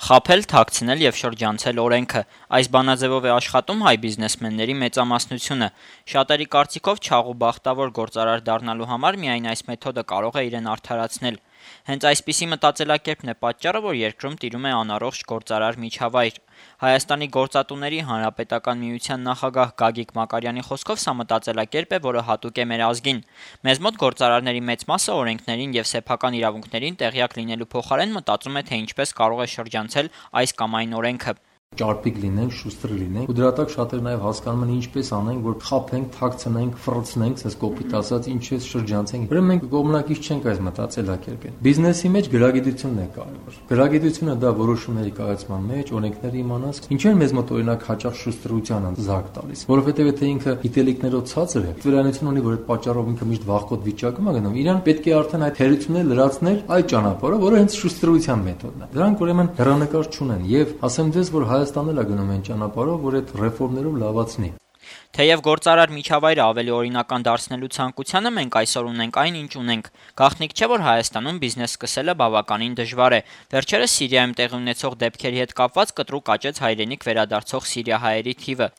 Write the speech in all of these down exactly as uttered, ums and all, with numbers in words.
խաբել, թաքցնել եւ շրջանցել օրենքը։ Այս բանաձևով է աշխատում հայ բիզնեսմենների մեծամասնությունը։ Շատերի կարծիքով չաղ ու բախտավոր գործարար դառնալու համար միայն այս մեթոդը կարող է իրեն արդարացնել։ Հենց այսպիսի մտածելակերպն է պատճառը, որ երկրում տիրում է անառողջ գործարար միջավայր։ Հայաստանի գործատուների հանրապետական միության նախագահ Գագիկ Մակարյանի խոսքով սա մտածելակերպ է, որը հատուկ է մեր ազգին։ Մեզ մոտ գործարարների մեծ մասը օրենքներին եւ սեփական իրավունքներին տեղյակ լինելու փոխարեն մտածում է, թե ինչպես կարող է շրջանցել այս կամ այն օրենքը։ Ճարպիկ լինենք, շուստր լինենք։ Ու դրա տակ շատերը նաև հասկանում են ինչպես անենք, որ խաբենք, թաքցնենք, ֆռցնենք, ասես կոպիտ ասած, ինչպես շրջանցենք։ Ուրեմն մենք կողմնակից չենք այս մտածելակերպին։ Բիզնեսի մեջ գրագիտությունն է կարևոր։ Գրագիտությունը դա որոշումների կայացման մեջ, օրենքների իմանաս, ինչու են մեզ մոտ օրինակ հաճախ շուստրությանը զարգ տալիս, որովհետև եթե ինքը գիտելիքներով ցածր է, վերանություն ունի, որ այդ պատճառով ինքը միշտ վախկոտ վիճակում է գնում, իրան պետք է արդեն այդ թերությունները լրացնել այդ ճանապարհով, որը հենց շուստրության մեթոդն է։ Դրանք ուրեմն հեռանկար չունեն եւ ասեմ ձեզ, որ Հայաստանն էլ է գնում այն ճանապարհով, որ այդ ռեֆորմներով լավացնի։ Թեև գործարար միջավայրը ավելի օրինական դարձնելու ցանկությանը մենք այսօր ունենք այն, ինչ ունենք։ Գաղտնիք չէ, որ Հայաստանում բիզնես սկսելը բավականին դժվար է։ Վերջերս Սիրիայում տեղի ունեցող դեպքերի հետ կապված կտրուկ աճեց հայրենիք վերադարձող սիրիահայերի թիվը։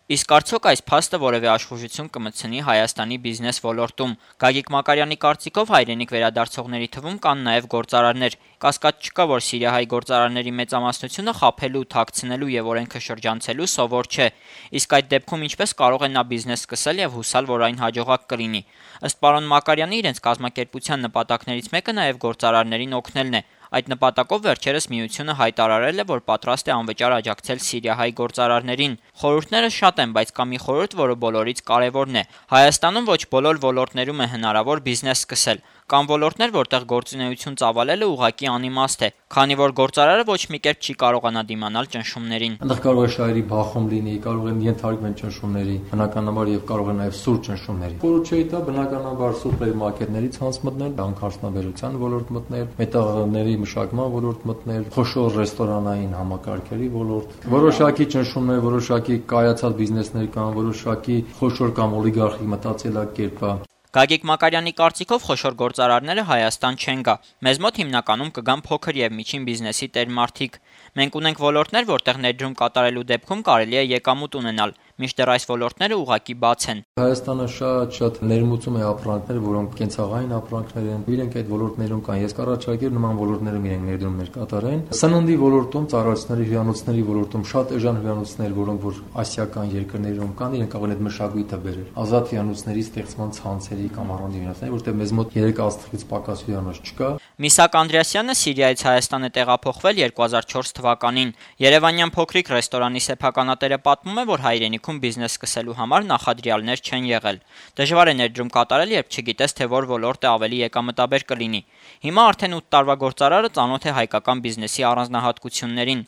Իսկ արդյոք այս փաստը որևէ աշխուժություն կմտցնի Հայաստանի բիզնես ոլորտում։ Գագիկ Մակարյանի կարծիքով հայրենիք վերադարձողների թվում կան նաև գործարարներ։ Կասկած չկա, որ սիրիահայ գործարարների մեծամասնությունը խաբելու, թաքցնելու եւ օրենքը շրջանցելու սովոր չէ։ Իսկ այդ դեպքում ինչպես կարող է նա բիզնես սկսել եւ հուսալ, որ այն հաջողակ կլինի։ Ըստ պարոն Մակարյանի, իրենց կազմակերպության նպատակներից մեկը նաև գործարարներին օգնելն է։ Այդ նպատակով վերջերս միությունը հայտարարել է, որ պատրաստ է անվճար աջակցել սիրիահայ գործարարներին։ Խորհուրդները շատ են, բայց կա մի խորհուրդ, որը բոլորից կարևորն է։ Հայաստանում ոչ բոլոր ոլորտներում է հնարավոր բիզնես սկսել։ Կան ոլորտներ, որտեղ գործունեություն ծավալելը ուղղակի անիմաստ է, քանի որ գործարարը ոչ մի կերպ չի կարողանա դիմանալ ճնշումներին։ Այնտեղ կարող է շահերի բախում լինի, կարող են ենթարկվել ճնշումների, բնականաբար եւ կարող է նաեւ սուր ճնշումների։ Խորհուրդ չէ դա բնականաբար սուպերմարկետներից հանց մտնել, հանքարդյունաբերության ոլորտ մտնել, մետաղների մշակման ոլորտ մտնել, խոշոր ռեստորանային համակարգերի ոլորտ։ Որոշակի ճնշումներ, որոշակի կայացած բիզնեսներ կան, որոշակի խոշոր կամ օլիգարխիկ մտածելակերպ կա։ Գագիկ Մակարյանի կարծիքով խոշոր գործարարները Հայաստան չեն գա։ Մեզ մոտ հիմնականում կգան փոքր եւ միջին բիզնեսի տերմարդիկ։ Մենք ունենք ոլորտներ, որտեղ ներդրում կատարելու դեպքում կարելի է եկամուտ ունենալ, մինչդեռ այս ոլորտները ուղղակի բաց են։ Հայաստանը շատ-շատ ներմուծում է ապրանքներ, որոնք կենցաղային ապրանքներ են։ Իրենք այդ ոլորտներում կան։ Ես կառաջարկեմ նման ոլորտներում իրենք ներդրումներ կատարեն։ Սննդի ոլորտում, ծառայությունների հյուրանոցների ոլորտում շատ էժան հյուրանոցներ, որոնք որ ասիական երկրներում կան, իրենք կարող են այդ մշակույթը բերել։ Ազատ հյուրանոցների ստեղծման ցանցերի կամ առանձին հյուրանոցների, որտեղ մեզ մոտ երեք աստղից պակաս հյուրանոց չկա։ Միսակ Անդրեասյանը Սիրիայից Հայաստան է տեղափոխվել երկու հազար չորս թվականին։ Երևանյան փոքրիկ ռեստորանի սեփականատերը պատմում է, որ հայրենիքում բիզնես սկսելու համար նախադրյալներ չեն եղել։ Դժվար է ներդրում կատարել, երբ չգիտես, թե որ ոլորտը ավելի եկամտաբեր կլինի։ Հիմա արդեն ութ տարվա գործարարը ծանոթ է հայկական բիզնեսի առանձնահատկություններին։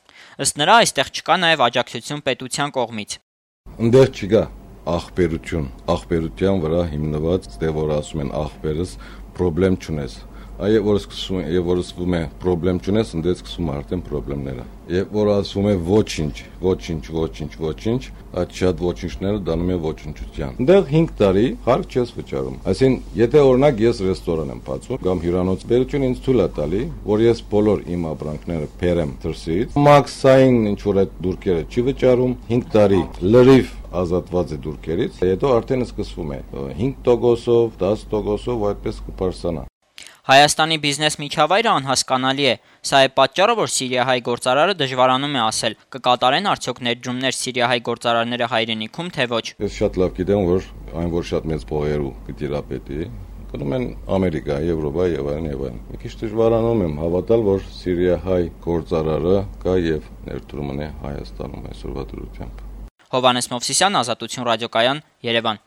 Ըստ նրա, այստեղ չկա նաև աջակցություն պետության կողմից։ Ընդեղ չկա ախպերություն, ախպերության վրա հիմնված, դե որ ասում են ախպերս, խնդրեմ չունես։ Այո, որ սկսում է, եւ որ սկսում է խնդրեմ չունես, ընդդե սկսում է արդեն խնդիրները։ Եվ որ ասում է ոչինչ, ոչինչ, ոչինչ, ոչինչ, այդ շատ ոչինչները դառնում է ոչնչության։ Այնտեղ հինգ տարի խարկ չես վճարում։ Այսինքն, եթե օրինակ ես ռեստորան եմ բացում կամ հյուրանոց, բերություն ինձ թույլ է տալի, որ ես բոլոր իմ ապրանքները բերեմ դրսից, մաքսային ինչ որ այդ դուրքերը չի վճարում, հինգ տարի լրիվ ազատված է դուրքերից, հետո արդեն սկսվում է հինգ տոկոսով, դաս տոկոսով ու այդպես կպարսանա։ Հայաստանի բիզնես միջավայրը անհասկանալի է։ Սա է պատճառը, որ սիրիահայ գործարարը դժվարանում է ասել, կկատարեն արդյոք ներդրումներ սիրիահայ գործարարները հայրենիքում, թե ոչ։ Ես շատ լավ գիտեմ, որ այն որ շատ մեծ փողերու կտիրապետի, գնում են Ամերիկա, Եվրոպա եւ այլն եւ այլն։ Մի քիչ դժվարանում եմ հավատալ, որ սիրիահայ գործարարը կա եւ ներդրում ունի Հայաստանում այսօրվա դրությամբ։ Հովհաննես Մովսիսյան, Ազատություն ռադիոկայան, Երևան։